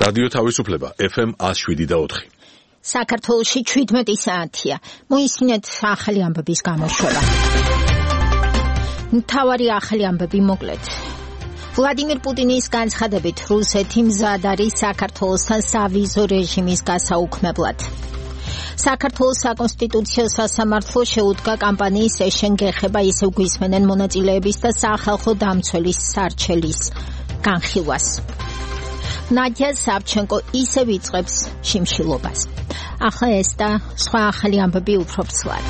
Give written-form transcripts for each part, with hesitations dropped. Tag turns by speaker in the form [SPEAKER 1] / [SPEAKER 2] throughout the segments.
[SPEAKER 1] რადიო თავისუფლება FM 107.4.
[SPEAKER 2] საქართველოში 17 საათია. მოისმინეთ ახალი ამბების გამოშვება. მთავარი ახალი ამბები მოკლედ. ვლადიმირ პუტინის განცხადებით რუსეთი მზად არის საქართველოსთან სავიზო რეჟიმის გასაუქმებლად. საქართველოს საკონსტიტუციო სასამართლო შეუდგა კამპანიის ეშენ გეხება ისევ გვისმენენ მონაწილეების და სახალხო დამცველის სარჩელის განხილვას. ნადია სავჩენკო ისევ იწყებს შიმშილობას. ახლა ეს და სხვა ახალი ამბები უფრო ცვლად.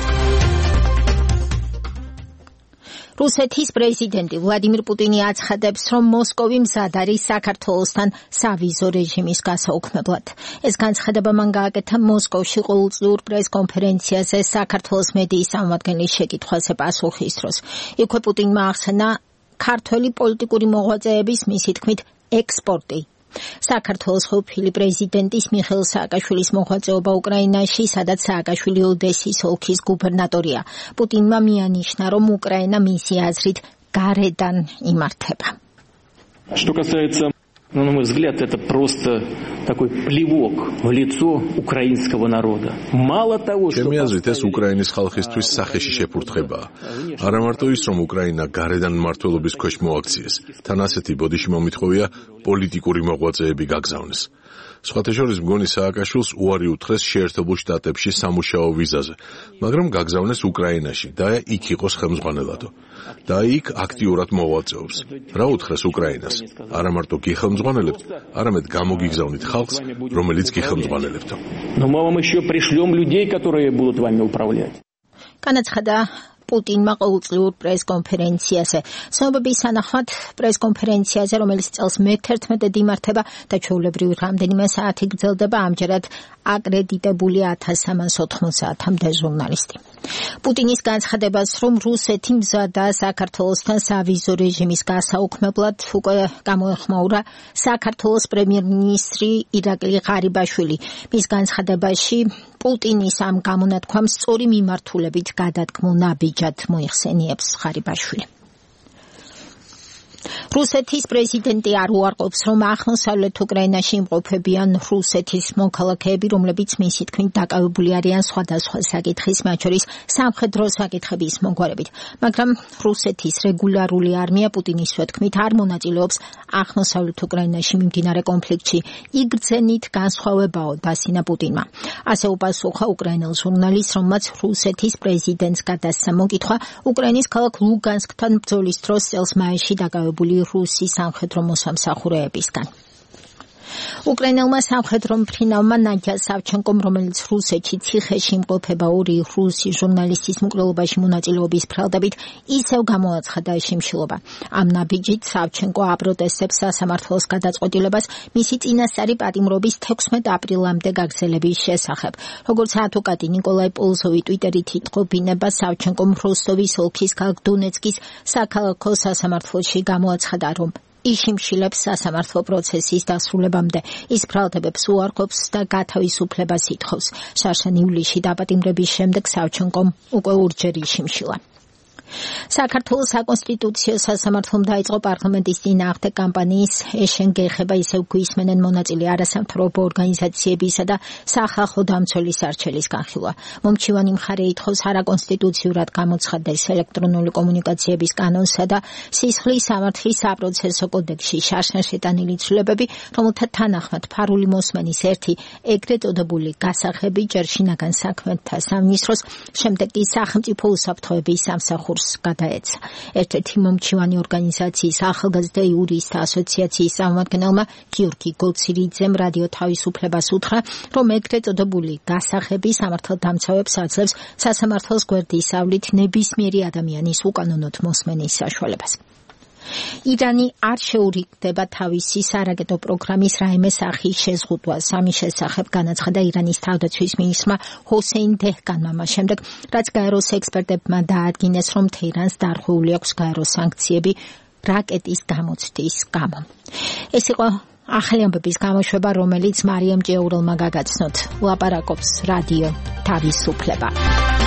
[SPEAKER 2] რუსეთის პრეზიდენტი ვლადიმირ პუტინი აცხადებს, რომ მოსკოვი მზად არის საქართველოსთან სავიზო რეჟიმის გასაუქმებლად. ეს განცხადება მან გააკეთა მოსკოვში ყოველწლიურ პრესკონფერენციაზე საქართველოს მედიის წარმომადგენლის შეკითხვაზე პასუხის დროს. იქვე პუტინმა ახსენა ქართველი პოლიტიკური მოღვაწეების მისი თქმით ექსპორტი. საქართველოს ყოფილი პრეზიდენტის მიხეილ სააკაშვილის მოღვაწეობა უკრაინაში, სადაც სააკაშვილი ოდესის ოლქის გუბერნატორია. პუტინმა მიანიშნა, რომ უკრაინა მისი აზრით გარედან იმართება.
[SPEAKER 3] Что касается, на мой взгляд, это просто такой плевок в лицо украинского народа. Мало того, что
[SPEAKER 1] ჩემი აზრით ეს უკრაინის ხალხისთვის სახეში შეფურთხებაა. არა მარტო ის, რომ უკრაინა გარედან მმართველობის ქვეშ მოაქციეს, თან ასეთი ბოდიში მომითხოვია პოლიტიკური მოღვაწეები გაგზავნეს. სხვათა შორის მგონი სააკაშვილს უარი უთხრეს შეერთებულ შტატებში სამუშაო ვიზაზე, მაგრამ გაგზავნეს უკრაინაში და იქ იყოს ხელმძღვანელადო. და იქ აქტიურად მოღვაწეობს. რა უთხრეს უკრაინას? არა მარტო გიხელმძღვანელებთ, არამედ გამოგიგზავნით ხალხს, რომელიც გიხელმძღვანელებთო.
[SPEAKER 3] Но мы вам еще пришлем людей, которые будут вами управлять.
[SPEAKER 2] განაცხადა პუტინმა ყოველწლიურ პრესკონფერენციაზე. ცნობების თანახმად პრესკონფერენციაზე, რომელიც წელს მე-11-ად იმართება და ჩვეულებრივ რამდენიმე საათი გრძელდება, ამჯერად აკრედიტებული 1390-მდე ჟურნალისტი. პუტინის განცხადებას, რომ რუსეთი მზადაა საქართველოსთან სავიზო რეჟიმის გასაუქმებლად, უკვე გამოეხმაურა საქართველოს პრემიერ-მინისტრი ირაკლი ღარიბაშვილი. მის განცხადებაში პუტინის ამ გამონათქვამს სწორი მიმართულებით გადადგმულ ნაბიჯად მოიხსენიებს ღარიბაშვილი. რუსეთის პრეზიდენტი არ უარყოფს, რომ აღმოსავლეთ უკრაინაში იმყოფებიან რუსეთის მოქალაქეები, რომლებიც მისი თქმით დაკავებული არიან სხვადასხვა საკითხის, მათ შორის სამხედრო საკითხების მოგვარებით. მაგრამ რუსეთის რეგულარული არმია პუტინის თქმით არ მონაწილეობს აღმოსავლეთ უკრაინაში მიმდინარე კონფლიქტში. იგრძენით განსხვავებაო, დასინა პუტინმა. ასე უპასუხა უკრაინელ ჟურნალისტს, რომელმაც რუსეთის პრეზიდენტს გადასცა მოკითხვა უკრაინის ქალაქ ლუგანსკთან ბრძოლის დროს წელს მაისში დაკავებული რუსი სამხედრო მოსამსახურეებისგან. უკრაინელმა სამხედრო მფრინავმა ნადია სავჩენკომ, რომელიც რუსეთში ციხეში იმყოფება ორი რუსი ჟურნალისტის მკვლელობაში მონაწილეობის ფრალდებით, ისევ გამოაცხადა შიმშილობა. ამ ნაბიჯით სავჩენკო აპროტესტებს სასამართლოს გადაწყვეტილებას მისი წინასწარი პატიმრობის 16 აპრილამდე გაგრძელების შესახებ. როგორც ადვოკატი ნიკოლაი პოლზოვი ტვიტერით იტყობინება, სავჩენკომ როსტოვის ოლქის ქალაქ დონეცკის საქალაქო სასამართლოში გამოაცხადა, რომ იშიმშილებს სასამართლო პროცესის დასრულებამდე. ის ფრალდებებს უარყოფს და გათავისუფლებას ითხოვს. შარშან ივლისში დაპატიმრების შემდეგ სავჩენკომ უკვე ორჯერ იშიმშილა. საქართველოს საკონსტიტუციო სასამართლომ დაიწყო პარლამენტის წინააღმდეგ კამპანიის ეშენ გეხება ისევ გვისმენენ მონაწილე არასამთავრობო ორგანიზაციებისა და სახალხო დამცველის არჩელის განხილვა. მომჩივანი მხარე ითხოვს არაკონსტიტუციურად გამოცხადდეს ელექტრონული კომუნიკაციების კანონსა და სისხლის სამართლის საპროცესო კოდექსში შარშან შეტანილი ცვლილებები, რომელთა თანახმად ფარული მოსმენის ერთი ეგრეთ წოდებული გასაღები ჯერ შინაგან საქმეთა სამინისტროს, შემდეგ კი სახელმწიფო უსაფრთხოების სამსახურს გადაეცა. ერთ-ერთი მომჩივანი ორგანიზაციის ახალგაზრდა იურისტთა ასოციაციის წარმომადგენელმა გიორგი გოცირიძემ რადიო თავისუფლებას უთხრა, რომ ეგრეთ წოდებული გასაღები სამართალდამცავებს აძლევს სასამართლოს გვერდისავლით ნებისმიერი ადამიანის უკანონოდ მოსმენის საშუალებას. ირანი არ შეურიგდება თავისი სარაკეტო პროგრამის რაიმე სახის შეზღუდვას. ამის შესახებ განაცხადა ირანის თავდაცვის მინისტრმა ჰოსეინ დეჰკანმა მას შემდეგ, რაც გაეროს ექსპერტებმა დაადგინეს, რომ თეირანს დარღვეული აქვს გაეროს სანქციები რაკეტის გამოცდის გამო. ეს იყო ახალი ამბების გამოშვება, რომელიც მარიამ ჭეურელმა გაგაცნოთ. ლაპარაკობს რადიო თავისუფლება.